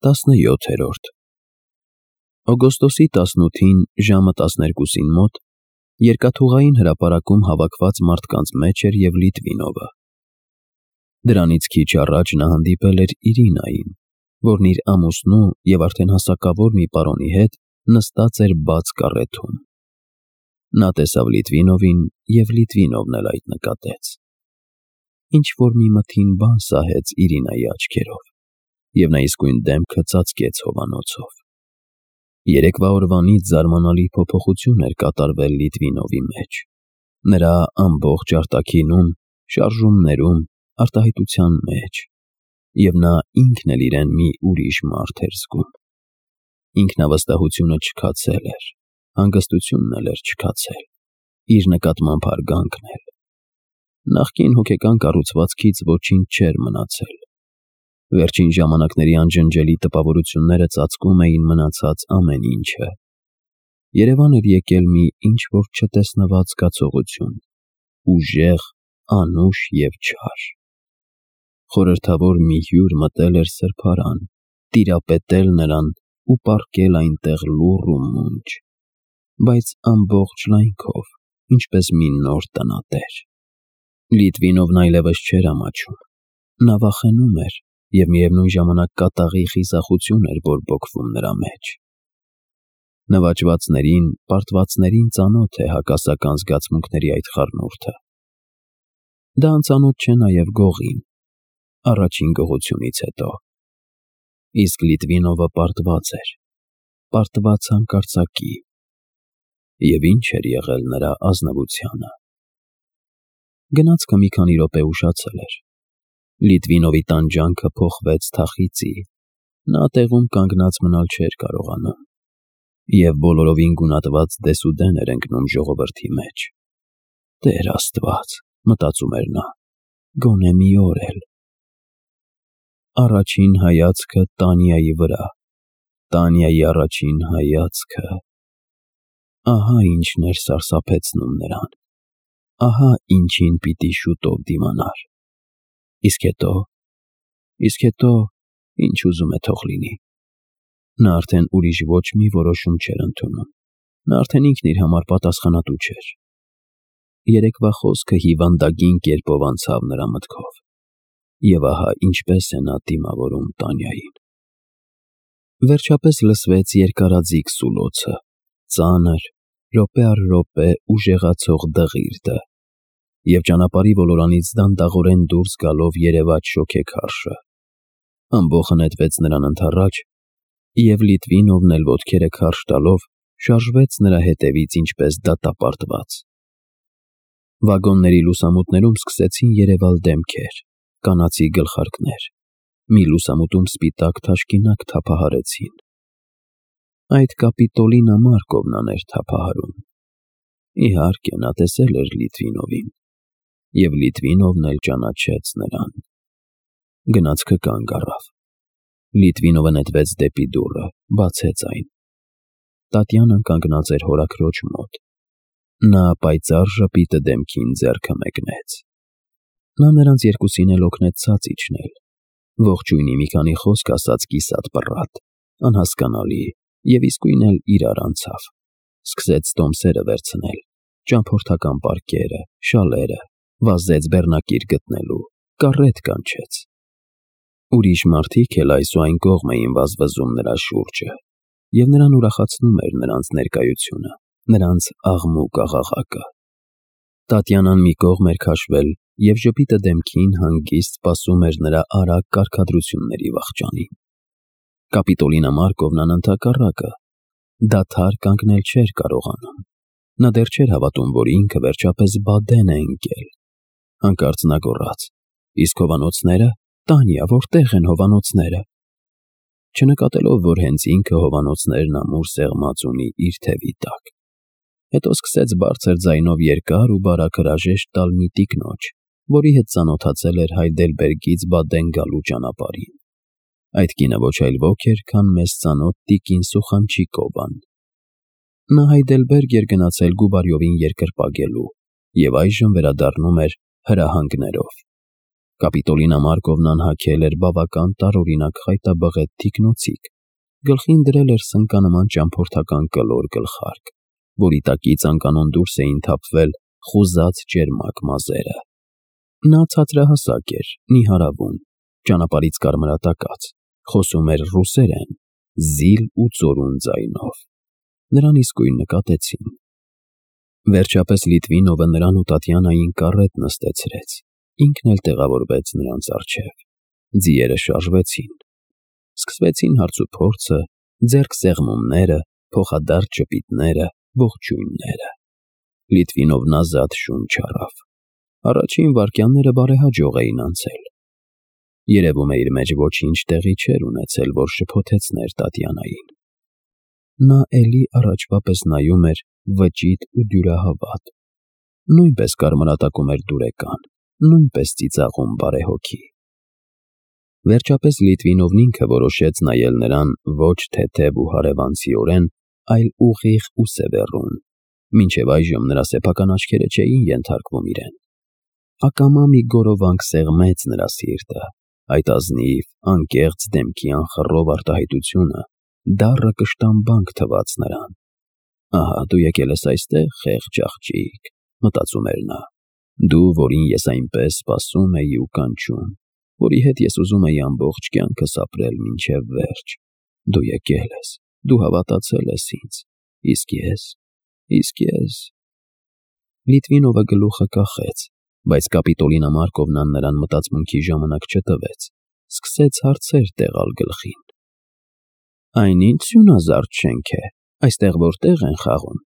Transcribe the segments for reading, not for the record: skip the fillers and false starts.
17-րդ Օգոստոսի 18-ին ժամը 12-ին մոտ երկաթուղային հրապարակում հավաքված մարդկանց մեջ էր և Լիտվինովը։ Դրանից քիչ առաջ նա հանդիպել էր Իրինային, որն իր ամուսնու և արդեն հասակավոր մի պարոնի հետ նստած էր բաց կառեթում։ Նա տեսավ Լիտվինովին, և Լիտվինովն էլ այդ նկատեց։ Ինչ-որ մի մթին բան սահեց Իրինայի աչքերով, և նա իսկույն դեմքը ծածկեց հովանոցով։ Երեկվա օրվանից զարմանալի փոփոխություն էր կատարվել Լիտվինովի մեջ, նրա ամբողջ արտաքինում, շարժումներում, արտահայտության մեջ, և նա ինքն էլ իրեն մի ուրիշ մարդ էր զգում։ Ինքնավստահությունը չքացել էր, հանգստությունն էլ էր չքացել, իր նկատմամբ հարգանքն էլ։ Նախկին հոգեկան կառուցվածքից ոչինչ չէր մնացել։ Վերջին ժամանակների անջնջելի տպավորությունները ծածկում էին մնացած ամեն ինչը։ Երևան էր եկել մի ինչ-որ չտեսնված զգացողություն, ուժեղ, անուշ և չար։ Խորհրդավոր մի հյուր մտել էր սրբարան, տիրապետել նրան ու պառկել այնտեղ լուռ ու մունջ, բայց ամբողջ լայնքով, ինչպես մի նոր տնատեր։ Լիտվինովն այլևս չէր ամաչում։ Նա վախենում էր, և միևնույն ժամանակ կատաղի խիզախություն էր բորբոքվում նրա մեջ։ Նվաճվածներին, պարտվածներին ծանոթ է հակասական զգացմունքների այդ խառնուրդը։ Դա անծանոթ չէ նաև գողին, առաջին գողությունից հետո։ Իսկ Լիտվինովը պարտված էր, պարտված հանկարծակի։ Եվ ինչ էր եղել նրա ազնվությանը։ Գնացքը մի քանի րոպե ուշացել էր։ Լիտվինովի տանջանքը փոխվեց թախիծի, նա տեղում կանգնած մնալ չէր կարողանում, և բոլորովին գունատված դեսուդեն էր ընկնում ժողովրդի մեջ։ Տեր Աստված, մտածում էր նա, գոնե մի օր էլ։ Առաջին հայացքը Տանյայի վրա, Տանյայի առաջին հայացքը… Ահա ինչն էր սարսափեցնում նրան, ահա ինչին պիտի շուտով դիմանար։ Իսկ հետո, ինչ ուզում է թող լինի։ Նա արդեն ուրիշ ոչ մի որոշում չէր ընդունում, նա արդեն ինքն իր համար պատասխանատու չէր։ Երեկվա խոսքը հիվանդագին կերպով անցավ նրա մտքով, և ահա ինչպես է նա դիմավորում Տանյային։ Վերջապես լսվեց երկարաձիգ սուլոցը, ծանր, րոպե առ րոպե ուժեղացող դղիրդը, և ճանապարհի ոլորանից դանդաղորեն դուրս գալով երևաց շոգեքարշը։ Ամբոխը նետվեց նրան ընդառաջ, և Լիտվինովն էլ ոտքերը քարշ տալով շարժվեց նրա հետևից ինչպես դատապարտված։ Վագոնների լուսամուտներում սկսեցին երևալ դեմքեր, կանացի գլխարկներ, մի լուսամուտում սպիտակ թաշկինակ թափահարեցին։ Այդ Կապիտոլինա Մարկովնան էր թափահարում։ Իհարկե, նա տեսել էր Լիտվինովին, և Լիտվինովն էլ ճանաչեց նրան։ Գնացքը կանգ առավ։ Լիտվինովը նետվեց դեպի դուռը, բացեց այն։ Տատյանան կանգնած էր հորաքրոջ մոտ։ Նա պայծառ ժպիտը դեմքին ձեռքը մեկնեց։ Նա նրանց երկուսին էլ օգնեց ցած իջնել։ Ողջույնի մի քանի խոսք ասաց կիսատ պռատ, անհասկանալի, և իսկույն էլ իրար անցավ։ Սկսեց տոմսերը վերցնել, ճամփորդական պարկերը, շալերը, վազեց բեռնակիր գտնելու, կառետ կանչեց։ Ուրիշ մարդիկ էլ այս ու այն կողմ էին վազվզում նրա շուրջը, և նրան ուրախացնում էր նրանց ներկայությունը, նրանց աղմուկ-աղաղակը։ Տատյանան մի կողմ էր քաշվել, և ժպիտը դեմքին հանգիստ սպասում էր նրա արագ կարգադրությունների վախճանին։ Կապիտոլինա Մարկովնան ընդհակառակը, դադար կանգնել չէր կարողանում։ Նա դեռ չէր հավատում, որ ինքը վերջապես բադեն է ընկել։ Հանկարծ նա գոռաց. «Իսկ հովանոցները, Տանյա, որտե՞ղ են հովանոցները»։ Չնկատելով, որ հենց ինքը հովանոցներն ամուր սեղմած ունի իր թևի տակ։ Հետո սկսեց բարձր ձայնով երկար ու բարակ հրաժեշտ տալ մի տիկնոջ, որի հետ ծանոթացել էր Հայդելբերգից Բադեն գալու ճանապարհին։ Այդ կինը ոչ այլ ոք էր, քան մեզ ծանոթ տիկին Սուխանչիկովան։ Նա Հայդելբերգ էր գնացել Գուբարյովին երկրպագելու և այժմ վերադառնում էր հրահանգներով։ Կապիտոլինա Մարկովնան հագել էր բավական տարօրինակ խայտաբղետ թիկնոցիկ, գլխին դրել էր սնկանման ճամփորդական կլոր գլխարկ, որի տակից անկանոն դուրս էին թափվել խուզած ճերմակ մազերը։ Նա ցածրահասակ էր, նիհարավուն, ճանապարհից կարմրատակած, խոսում էր ռուսերեն, զիլ ու ծորուն ձայնով։ Նրան իսկույն նկատեցին։ Վերջապես Լիտվինովը նրան ու Տատյանային կարետ նստեցրեց, ինքն էլ տեղավորվեց նրանց առջև։ Ձիերը շարժվեցին։ Սկսվեցին հարցուփորձը, ձեռքսեղմումները, փոխադարձ ճպիտները, ողջույնները։ Լիտվինովն ազատ շունչ առավ։ Առաջին վայրկյանները բարեհաջող էին անցել։ Երևում է իր մեջ ոչինչ տեղի չէր ունեցել, որ շփոթեցներ Տատյանային։ Նա էլի առաջվա պես նայում էր վճիտ ու դյուրահավատ։ Նույնպես կարմրատակում էր դուրեկան, նույնպես ծիծաղում բարեհոգի։ Վերջապես Լիտվինովն ինքը որոշեց նայել նրան ոչ թեթև ու հարևանցիորեն, այլ ուղիղ ու սևեռուն, մինչև այժմ նրա սեփական աչքերը չէին ենթարկվում իրեն։ Ակամա մի գորովանք սեղմեց նրա սիրտը, այդ ազնիվ, անկեղծ դեմքի անխռով արտահայտությունը դառը կշտամբանք թվաց նրան։ Ահա դու եկել ես այստեղ, խեղճ աղջիկ, մտածում էր նա, դու, որին ես այնպես սպասում էի ու կանչում, որի հետ ես ուզում էի ամբողջ կյանքս ապրել մինչև վերջ, դու եկել ես, դու հավատացել ես ինձ, իսկ ես… Լիտվինովը գլուխը կախեց, բայց Կապիտոլինա Մարկովնան նրան մտածմունքի ժամանակ չտվեց, սկսեց հարցեր տեղալ գլխին։ Այն ինչ սյունազարդ շենք է, այստեղ որտեղ են խաղում,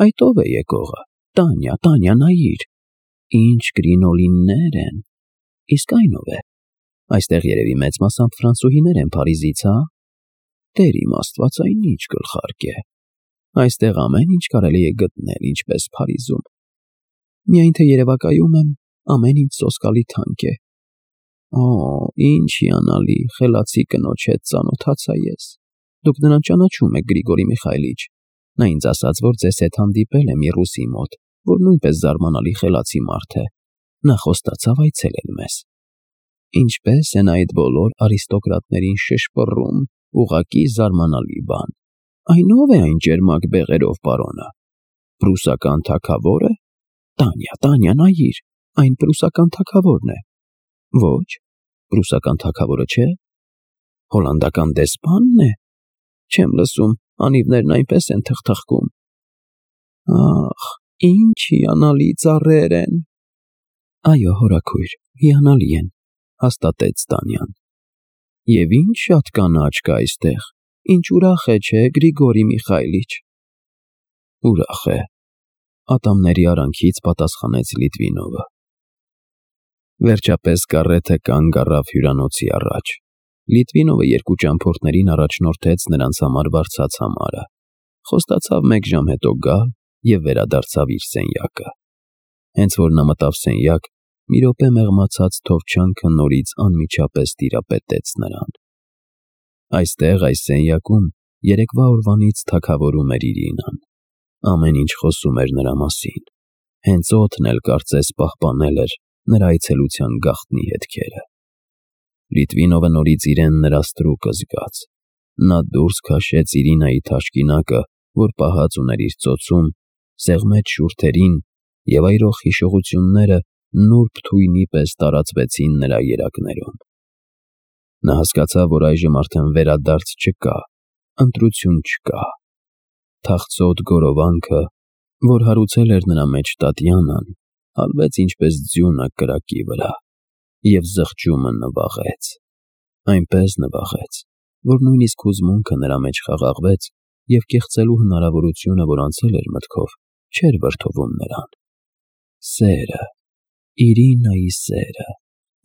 այդ ով է եկողը, Տանյա, նայիր, ինչ կրինոլիններ են, իսկ այն ով է, այստեղ երևի մեծ մասամբ ֆրանսուհիներ են Փարիզից, հա, Տեր իմ Աստված, այն ինչ գլխարկ է, այստեղ ամեն ինչ կարելի է գտնել, ինչպես Փարիզում, միայն թե երևակայում եմ, ամեն ինչ սոսկալի թանկ է։ Օ, ինչ հիանալի, խելացի կնոջ հետ ծանոթացա ես։ Դուք նրան ճանաչում եք, Գրիգորի Միխայիլիչ։ Նա ինձ ասաց, որ ձեզ հետ հանդիպել է մի ռուսի մոտ, որ նույնպես զարմանալի խելացի մարդ է։ Նա խոստացավ այցելել մեզ։ Ինչպես են այդ բոլոր արիստոկրատներին շշպռում, ուղղակի զարմանալի բան։ Այն ով է այն ջերմակ բեղերով պարոնը։ Պրուսական թագավորը։ Տանյա, նայիր, այն պրուսական թագավորն է։ Ոչ, պրուսական թագավորը չէ։ Հոլանդական դեսպանն է։ Չեմ լսում, անիվներն այնպես են թխթխկում։ Ախ, ինչ հիանալի ծառեր են։ Այո, հորաքույր, հիանալի են, հաստատեց Տանյան։ Եվ ինչ շատ կանաչ կա այստեղ, ինչ ուրախ է, չէ, Գրիգորի Միխայիլիչ։ Ուրախ է, ատամների արանքից պատասխանեց Լիտվինովը։ Վերջապես կարեթը կանգ առավ հյուրանոցի առաջ։ Լիտվինովը երկու ճամփորդներին առաջնորդեց նրանց համար վարձած համարը, խոստացավ 1 ժամ հետո գալ և վերադարձավ իր սենյակը։ Հենց որ նա մտավ սենյակ, մի րոպե մեղմացած թովչանքը նորից անմիջապես տիրապետեց նրան։ Այստեղ, այս սենյակում, երեկվա օրվանից թագավորում էր Իրինան։ Ամեն ինչ խոսում էր նրա մասին։ Հենց օդն էլ կարծես պահպանել էր նրա այցելության գաղտնի հետքերը։ Լիտվինովը նորից իրեն նրա ստրուկը զգաց։ Նա դուրս քաշեց Իրինայի թաշկինակը, որ պահած ուներ իր ծոցում, սեղմեց շուրթերին, և այրող հիշողությունները նուրբ թույնի պես տարածվեցին նրա երակներում։ Նա հասկացավ, որ այժմ արդեն վերադարձ չկա, ընտրություն չկա։ Թախծոտ գորովանքը, որ հարուցել էր նրա մեջ Տատյանան, հալվեց ինչպես ձյունը կրակի վրա, և զղջումը նվաղեց։ Այնպես նվաղեց, որ նույնիսկ հուզմունքը նրա մեջ խաղաղվեց, և կեղծելու հնարավորությունը, որ անցել էր մտքով, չէր վրդովում նրան։ Սերը, Իրինայի սերը,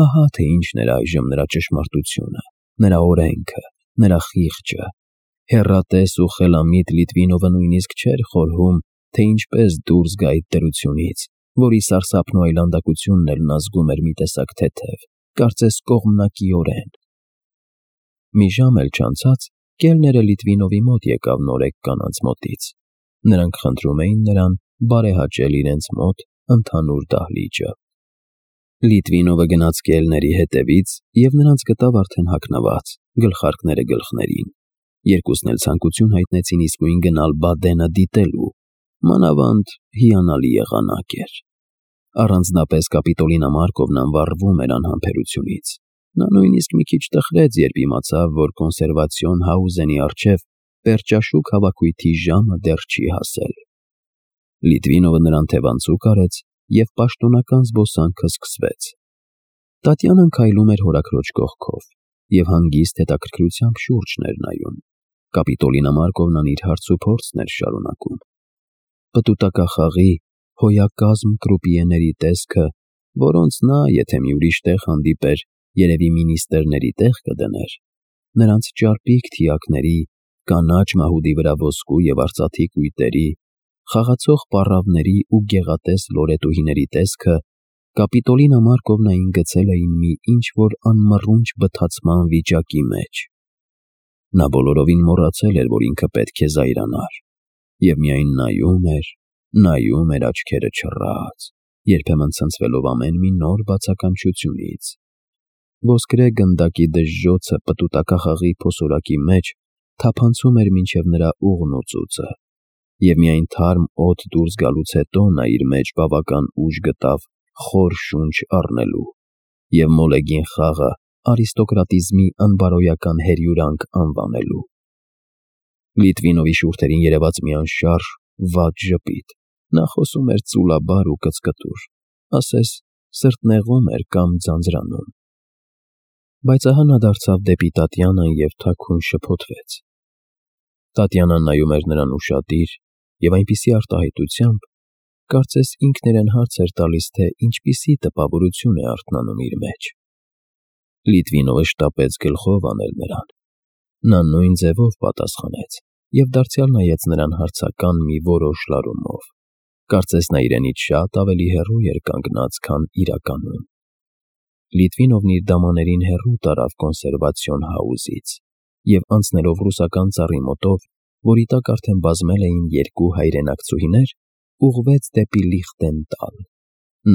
ահա թե ինչն էր այժմ նրա ճշմարտությունը, նրա օրենքը, նրա խիղճը։ Հեռատես ու խելամիտ Լիտվինովը նույնիսկ չէր խորհում, թե ինչպես դուրս գա այդ դրությունից, որի սարսափն ու այլանդակությունն էլ նա զգում էր մի տեսակ թեթև, կարծես կողմնակիորեն։ Մի ժամ էլ չանցած, կելները Լիտվինովի մոտ եկավ նորեկ կանանց մոտից։ Նրանք խնդրում էին նրան բարեհաճել իրենց մոտ ընդհանուր դահլիճը։ Լիտվինովը գնաց կելների հետևից և նրանց գտավ արդեն հագնված, գլխարկները գլխներին։ Երկուսն էլ ցանկություն հայտնեցին իսկույն գնալ Բադենը դիտելու, մանավանդ հիանալի եղանակ էր։ Առանձնապես Կապիտոլինա Մարկովնան վառվում էր անհամբերությունից։ Նա նույնիսկ մի քիչ տխրեց, երբ իմացավ, որ կոնսերվացիոն Հաուզենի առջև պերճաշուք հավաքույթի ժամը դեռ չի հասել։ Լիտվինովը նրան թևանցուկ արեց և պաշտոնական զբոսանքը սկսվեց։ Տատյանան քայլում էր հորաքրոջ կողքով և հանգիստ հետաքրքրությամբ շուրջն էր նայում։ Կապիտոլինա Մարկովնան իր հարցուփորձն էր շարունակում։ Պտուտակախաղի հոյակազմ կրուպիեների տեսքը, որոնց նա, եթե մի ուրիշ տեղ հանդիպեր, երևի մինիստրների տեղ կդներ, նրանց ճարպիկ թիակների, կանաչ մահուդի վրա ոսկու և արծաթի կույտերի, խաղացող պառավների ու գեղատես լորետուհիների տեսքը Կապիտոլինա Մարկովնային գցել էին մի ինչ-որ անմռունչ բթացման վիճակի մեջ։ Նա բոլորովին մոռացել էր, որ ինքը պետք է զայրանար, և միայն նայում էր աչքերը չռած, երբեմն ցնցվելով ամեն մի նոր բացականչությունից։ Ոսկրե գնդակի դժժոցը պտուտակախաղի փոսորակի մեջ թափանցում էր մինչև նրա ուղն ու ծուծը, և միայն թարմ օդ դուրս գալուց հետո նա իր մեջ բավական ուժ գտավ խոր շունչ առնելու և մոլեգին խաղը արիստոկրատիզմի անբարոյական հերյուրանք անվանելու։ Լիտվինովի շուրթերին երևաց մի անշարժ վատ ժպիտ։ Նա խոսում էր ծուլաբար ու կծկտուր, ասես սրտնեղում էր կամ ձանձրանում։ Բայց ահա նա դարձավ դեպի Տատյանան և թաքուն շփոթվեց։ Տատյանան նայում էր նրան ուշադիր և այնպիսի արտահայտությամբ, կարծես ինքն իրեն հարց էր տալիս, թե ինչպիսի տպավորություն է արթնանում իր մեջ։ Լիտվինովը շտապեց գլխով անել նրան։ Նա նույն ձևով պատասխանեց և դարձյալ նայեց նրան հարցական մի որոշ լարումով։ Կարծես նա իրենից շատ ավելի հեռու էր կանգնած, քան իրականում։ Լիտվինովն իր դամաներին հեռու տարավ կոնսերվացիոն Հաուզից և անցնելով ռուսական ծառի մոտով, որի տակ արդեն բազմել էին երկու հայրենակցուհիներ, ուղղվեց դեպի Լիխտենտալ։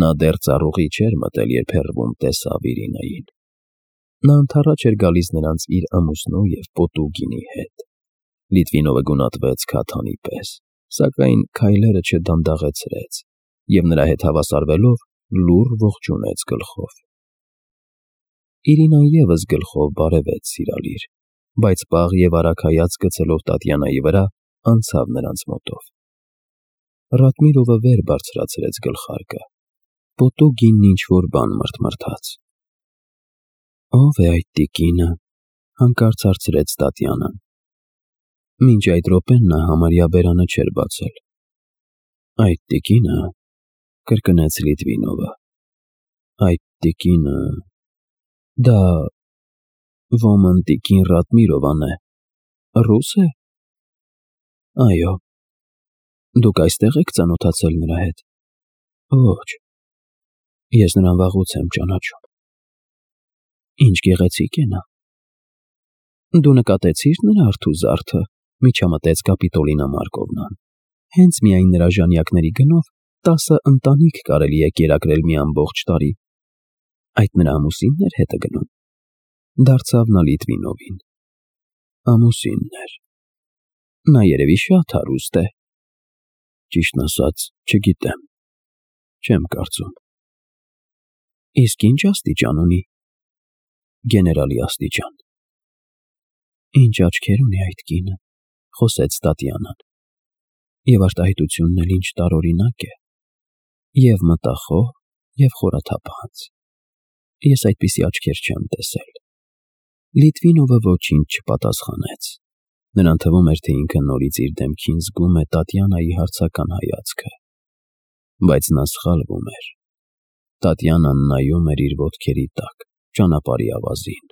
Նա դեռ ծառուղի չէր մտել, երբ հեռվում տեսավ Իրինային։ Նա ընդառաջ էր գալիս նրանց իր ամուսնու և պոտու գինի հետ։ Լիտվինովը գունատվեց քաթանի պես, սակայն քայլերը չդանդաղեցրեց և նրա հետ հավասարվելով լուռ ողջունեց գլխով։ Իրինան ևս գլխով բարևեց սիրալիր, բայց պաղ և արագ հայացք գցելով Տատյանայի վրա, անցավ նրանց մոտով։ Ռատմիրովը վեր բարձրացրեց գլխարկը։ Պոտու գինն ինչ-որ բան մռթմռթաց։ «Ո՞վ է այդ տիկինը», հանկարծ հարցրեց Տատյանան։ Մինչ այդ րոպեն նա համարյա բերանը չէր բացել։ «Այդ տիկինը», կրկնեց Լիտվինովը, «այդ տիկինը… դա ոմն տիկին Ռատմիրովան է, ռուս է»։ «Այո»։ «Դուք այստեղ եք ծանոթացել նրա հետ»։ «Ոչ, ես նրան վաղուց եմ ճանաչում»։ «Ինչ գեղեցիկ է նա»։ «Դու նկատեցի՞ր նրա արթու զարդը», միջամտեց Կապիտոլինա Մարկովնան։ «Հենց միայն նրա ժանյակների գնով 10 ընտանիք կարելի է կերակրել մի ամբողջ տարի»։ «Այդ նրա ամուսինն էր հետը գնում»։ Դարձավ նա Լիտվինովին։ «Ամուսինն էր։ Նա երևի շատ հարուստ է»։ «Ճիշտն ասած, չգիտեմ, չեմ կարծում»։ «Իսկ ի՞նչ աստիճան ունի»։ «Գեներալի աստիճան»։ «Ինչ աչքեր ունի այդ կինը», խոսեց Տատյանան։ «Եվ արտահայտությունն էլ ինչ տարօրինակ է. և մտախոհ, և խորաթափանց։ Ես այդպիսի աչքեր չեմ տեսել»։ Լիտվինովը ոչինչ չպատասխանեց։ Նրան թվում էր, թե ինքը նորից իր դեմքին զգում է Տատյանայի հարցական հայացքը։ Բայց նա սխալվում էր։ Տատյանան նայում էր իր ոտքերի տակ, ճանապարհի ավազին։